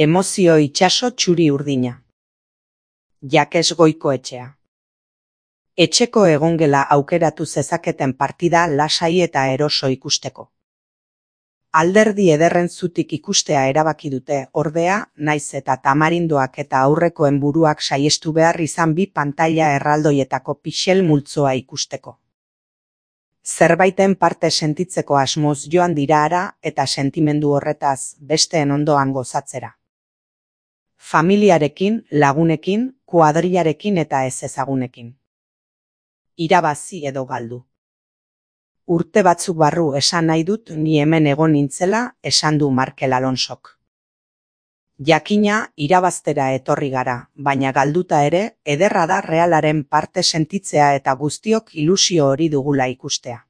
Emozio itsaso txuri urdina. Jakes Goikoetxea. Etxeko egongela aukeratu zezaketen partida lasai eta eroso ikusteko. Alderdi ederren zutik ikustea erabaki dute, ordea, naiz eta tamarindoak eta aurrekoen buruak saiestu behar izan bi pantaila erraldoietako pixel multzoa ikusteko. Zerbaiten parte sentitzeko asmoz joan dira hara eta sentimendu horretaz besteen ondoan gozatzera. Familiarekin, lagunekin, kuadrilarekin eta ez ezagunekin. Irabazi edo galdu. Urte batzuk barru esan nahi dut ni hemen egon nintzela, esan du Markel Alonsok. Jakina irabaztera etorri gara, baina galduta ere, ederra da Realaren parte sentitzea eta guztiok ilusio hori dugula ikustea.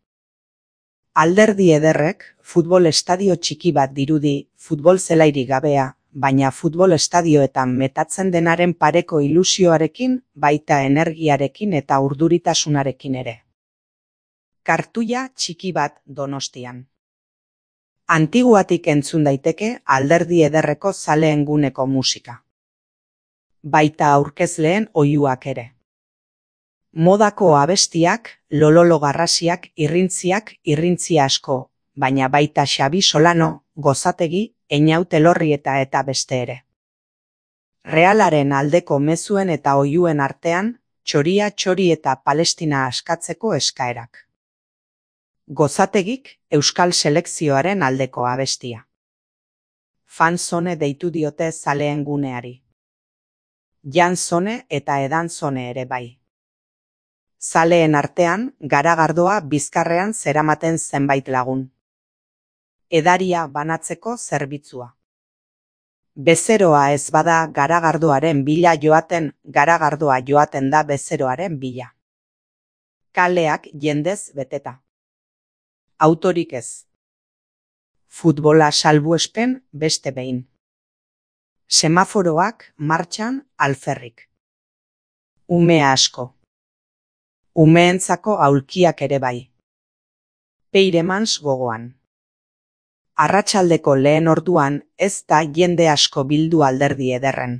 Alderdi ederrek, futbol estadio txiki bat dirudi, futbol zelairik gabea, baina futbol estadioetan metatzen denaren pareko ilusioarekin, baita energiarekin eta urduritasunarekin ere. Kartuia txiki bat Donostian. Antiguatik entzun daiteke alderdi ederreko zaleen guneko musika. Baita aurkezleen oihuak ere. Modako abestiak, lololo garrasiak, irrintzi asko, baina baita Xabi Solano, Gozategi, Einaut Elorrieta eta beste ere. Realaren aldeko mezuen eta oihuen artean, txoria txori eta Palestina askatzeko eskaerak. Gozategik Euskal Selekzioaren aldeko abestia. Fanzone deitu diote zaleen guneari. Janzone eta edanzone ere bai. Zaleen artean, garagardoa bizkarrean zeramaten zenbait lagun. Edaria banatzeko zerbitzua. Bezeroa ez bada garagardoaren bila joaten, garagardoa joaten da bezeroaren bila. Kaleak jendez beteta. Autorik ez. Futbola salbuespen beste behin. Semaforoak martxan alferrik. Ume asko. Umeentzako aulkiak ere bai. Peiremans gogoan. Arratsaldeko lehen orduan ez da jende asko bildu alderdi ederren.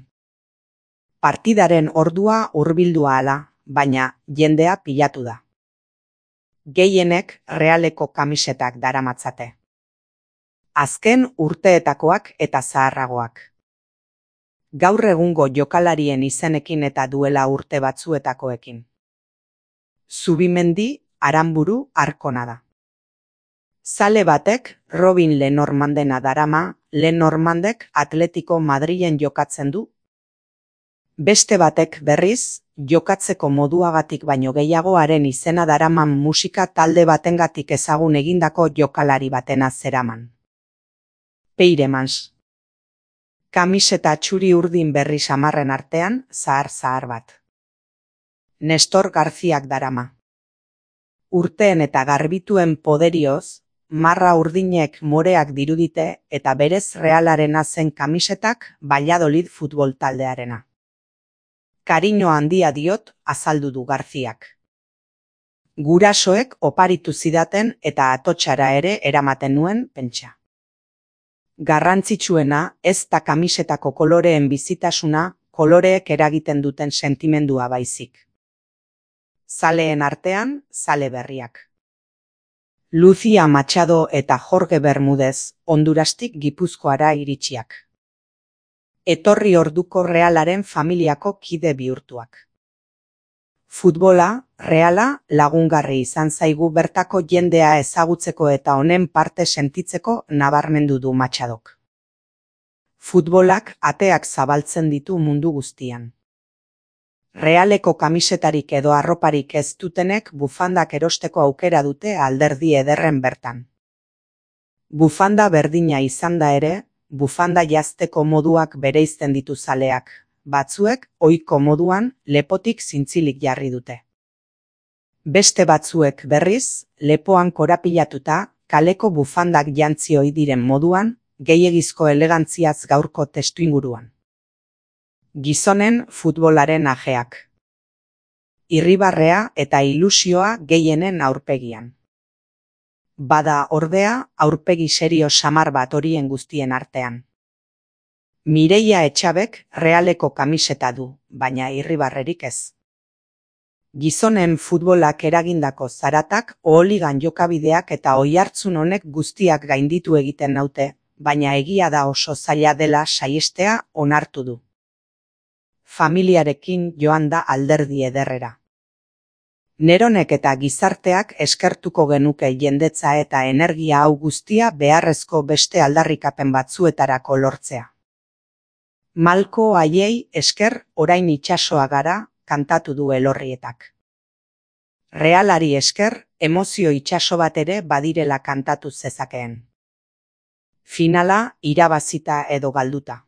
Partidaren ordua hurbildua ala, baina jendea pilatu da. Gehienek Realeko kamisetak daramatzate. Azken urteetakoak eta zaharragoak. Gaur egungo jokalarien izenekin eta duela urte batzuetakoekin. Zubimendi, Aranburu, Arkona da. Zale batek Robin Lenormandena darama, Lenormandek Atletico Madrilen jokatzen du. Beste batek berriz, jokatzeko moduagatik baino gehiagoaren izena daraman musika talde batengatik ezagun egindako jokalari batena zeraman. Peiremans. Kamiseta txuri urdin berri samarren artean, zahar bat. Nestor Garziak darama. Urteen eta garbituen poderioz, marra urdinek moreak dirudite eta berez Realarena zen kamisetak Valladolid futbol taldearena. Kariño handia diot azaldu du Garziak. Gurasoek oparitu zidaten eta atotxara ere eramaten nuen pentsa. Garrantzitsuena ez da kamisetako koloreen bizitasuna, koloreek eragiten duten sentimendua baizik. Zaleen artean, zale berriak. Lucia Machado eta Jorge Bermúdez, Hondurastik Gipuzkoara iritsiak. Etorri orduko Realaren familiako kide bihurtuak. Futbola, Reala, lagungarri izan zaigu bertako jendea ezagutzeko eta honen parte sentitzeko nabarmendu du Machadok. Futbolak ateak zabaltzen ditu mundu guztian. Realeko kamisetarik edo arroparik ez dutenek bufandak erosteko aukera dute alderdi ederren bertan. Bufanda berdina izan da ere, bufanda jazteko moduak bereizten ditu zaleak, batzuek ohiko moduan lepotik zintzilik jarri dute. Beste batzuek berriz, lepoan korapilatuta, kaleko bufandak jantzi ohi diren moduan, gehiegizko elegantziaz gaurko testuinguruan. Gizonen futbolaren ajeak. Irribarrea eta ilusioa gehienen aurpegian. Bada ordea aurpegi serio samar bat horien guztien artean. Mireia Etxabek Realeko kamiseta du, baina irribarrerik ez. Gizonen futbolak eragindako zaratak, oholigan jokabideak eta oihartzun honek guztiak gainditu egiten naute, baina egia da oso zaila dela saihestea onartu du. Familiarekin joan da alderdi ederrera. Neronek eta gizarteak eskertuko genuke jendetza eta energia hau guztia beharrezko beste aldarrikapen batzuetarako lortzea. Malko haiei esker orain itsasoa gara, kantatu du Elorrietak. Realari esker emozio itsaso bat ere badirela kantatu zezakeen. Finala irabazita edo galduta.